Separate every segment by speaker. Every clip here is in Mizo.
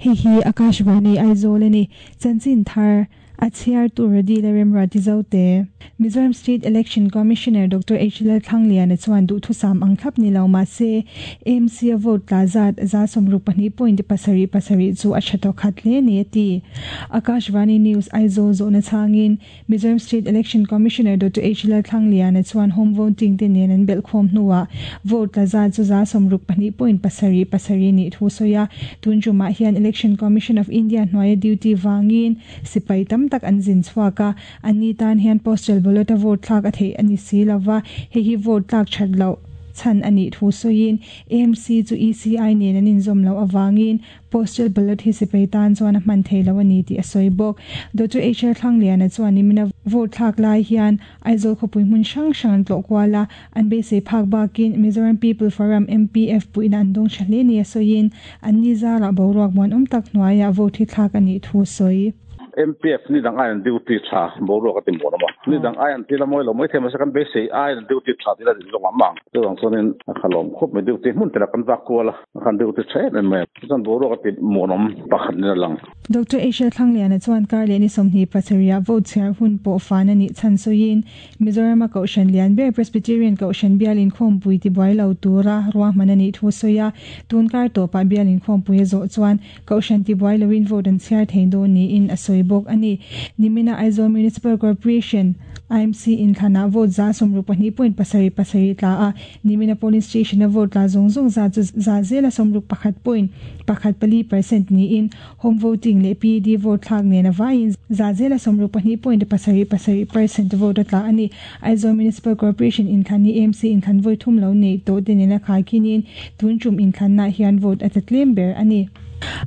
Speaker 1: Hei hi Akashvani Aizawl a ni. Chanchin thar a chhiar tur a dil a remruat i zo te. Mizoram State Election Commissioner Doctor H Lalthlangliana chuan duhthusam ang thlap ni lo mah se AMC a vote tla zat 62 point 7 7 chu a tha tawh khat hle ni a ti. Akashvani News Aizawl zawhna chhangin Mizoram State Election Commissioner Doctor H Lalthlangliana chuan home voting te nen an belhkhawm hnuah vote tla zat chu 62 point 7 7 nih thu sawi a. Tun tumah hian Election Commission of India hnuaia duty vangin sipai tam tak an zin chhuak a, anni tan hian postal ballot a vote thlak a theih a ni si lova, hei hi vote tlak that loh chhan a nih thu sawiin AMC chu ECI nen an inzawm loh avangin Postal ballot hi sipai tan chuan a hman thei lo a ni tih a sawi bawk. Doctor HR Thlangliana chuan nimina vote thlak lai hian Aizawl khawpui hmun hrang hrang an tlawh kual a, an beisei phak bakin Mizoram People Forum, MPF, puihna an dawng tha hle nia sawiin an ni zarah boruak muanawm tak hnuaiah vote hi thlak a nih thu a sawi.
Speaker 2: MPF ni dang aiin duty tha boruak a ti muan awm a, ni dang aiin thil a mawi lo mai thei mahse kan beisei aiin duty tha tih a rin zawng ang ang. Chuvang chuanin a khalawm khawp mai duty hmun tela kan vak kual a. A khan deuh te tha em em mai a, chuan boruak a ti muanawm pakhat in a lang.
Speaker 1: Doctor Asia Thlangliana chuan kar leh ni 27 ah vote chhiar hun pawh fan a nih chhan sawiin, Mizoram a Kohhran lian ber Presbyterian Kohhran bial inkhawmpui tibuai lo tura ruahman a nih thu sawi a, tun kar tawpah bial inkhawmpui a zawh chuan Kohhran tibuai loin vote an chhiar thei dawn niin a sawi bawk a ni. Nimina Aizawl Municipal Corporation, IMC, inthlanah vote 62 point 7 7 tla a, Nimina polling station-a vote tla zawng zawng zat chu 61 point 1 4 percent niin home voting leh PED vote thlak nen a vaiin 62 point 7 7 percent vote a tla a ni. Aizawl Municipal Corporation inthlan hi AMC inthlan vawi thum lo neih tawh te nena khaikinin tun tum inthlannaah hian vote a tla tlem ber a ni.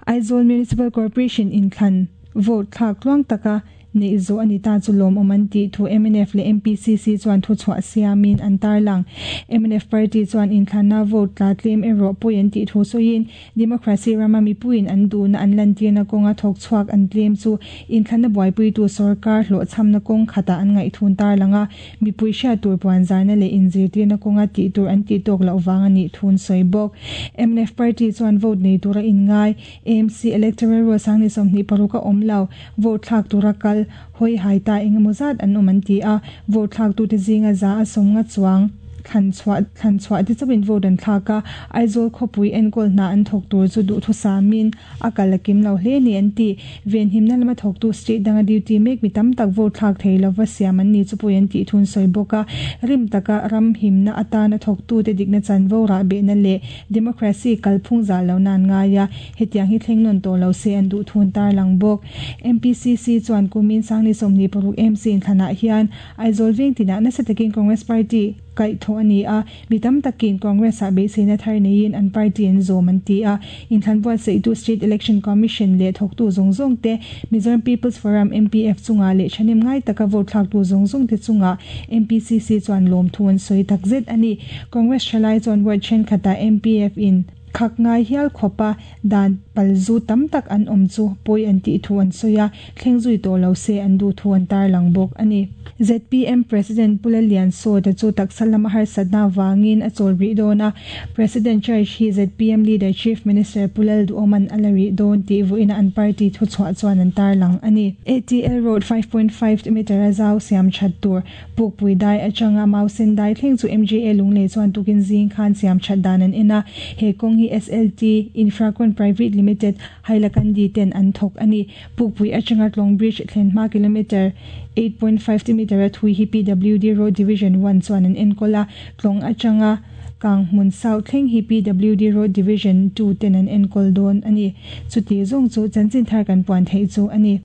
Speaker 1: Aizawl Municipal Corporation inthlan vote thlak tluang taka Neih zawh a ni ta chu lawmawm an tih thu mnf leh MPCC chuan thuchhuah siamin an tarlang. Mnf party chuan inthlanna vote tla tlem erawh pawi an tih thu sawiin democracy rama mipuiin an duhna an lantirna kawnga thawk chhuak an tlem chu inthlanna buaipuitu sorkar hlawhchhamna kawng khatah an ngaihthun tarlang a, mipui hriat tur puanzarna leh inzirtirna kawnga tih tur an tih tawk loh vang a nih thun sawi bawk. Mnf party chuan vote nei tura inngai AMC Electoral Roll sang ni 26 a awm lo. Vote thlak tura kal hawi hai ta eng emaw zat an awm an ti a, vote thlaktute zinga 150 chuang thlan chhuah thlan chhuah te chauhin vote an thlak a, Aizawl khawpui enkawl hna an thawk tur chu duhthusamin a kal a kim lo hle ni an ti. Venhimna lama thawktu state danga duty mek mi tam tak vote thlak thei lova siam an ni chu pawi an tih thun sawi bawk a, rim taka ram himna atana thawktute dikna chanvo rahbehna leh democracy kalphung zah lohna an ngai a. Hetiang hi thleng nawn tawh lo se an duh thun tarlang bawk. MPCC chuan kumin Sangni 26 MC inthlanah hian Aizawl veng tinah nasa takin Congress Party kaih thawh a ni a, mi tam takin Congress-ah beiseina thar neiin an party an zawm an ti a. Inthlan buatsaihtu State Election Commission leh thawktu zawng zawng te, Mizoram People's Forum, MPF, chungah leh thahnem ngai taka vote thlaktu zawng zawng te chungah MPCC chuan lawmthu an sawi takzet a ni. Congress thalai chuan ward thenkhatah MPF in Khak ngai hial khawpa dan palzu tam tak an awm chu pawi an tih thu an sawi a, thleng zui tawh lo se an duh thu an tarlang bawk a ni. Zpm President Pu Lalliansawta chu taksa lama harsatna avangin a chawl rih dawn a, President charge hi zpm leader Chief Minister Pu Lalduhawma'n a la rih dawn tih vawiina an party thuchhuah chuan an tarlang a ni. ATL Road 5.5 meter a zau siam that tur Pukpui dai atanga Mausen dai thleng chu MJA Lunglei chuan tukin zing khan siam that dan an en a, he kawng hi SLT Infracon Private Limited, Hailakandi ten an thawk a ni. Pukpui atanga Tlawng Bridge thlen hma kilometre 8.5 meter a thui hi PWD Road Division One chuan an enkawl a, Tlawng atanga Kanghmun South thleng hi PWD Road Division Two ten an enkawl dawn a ni. Chuti zawng chu chanchin thar kan puan theih chu a ni.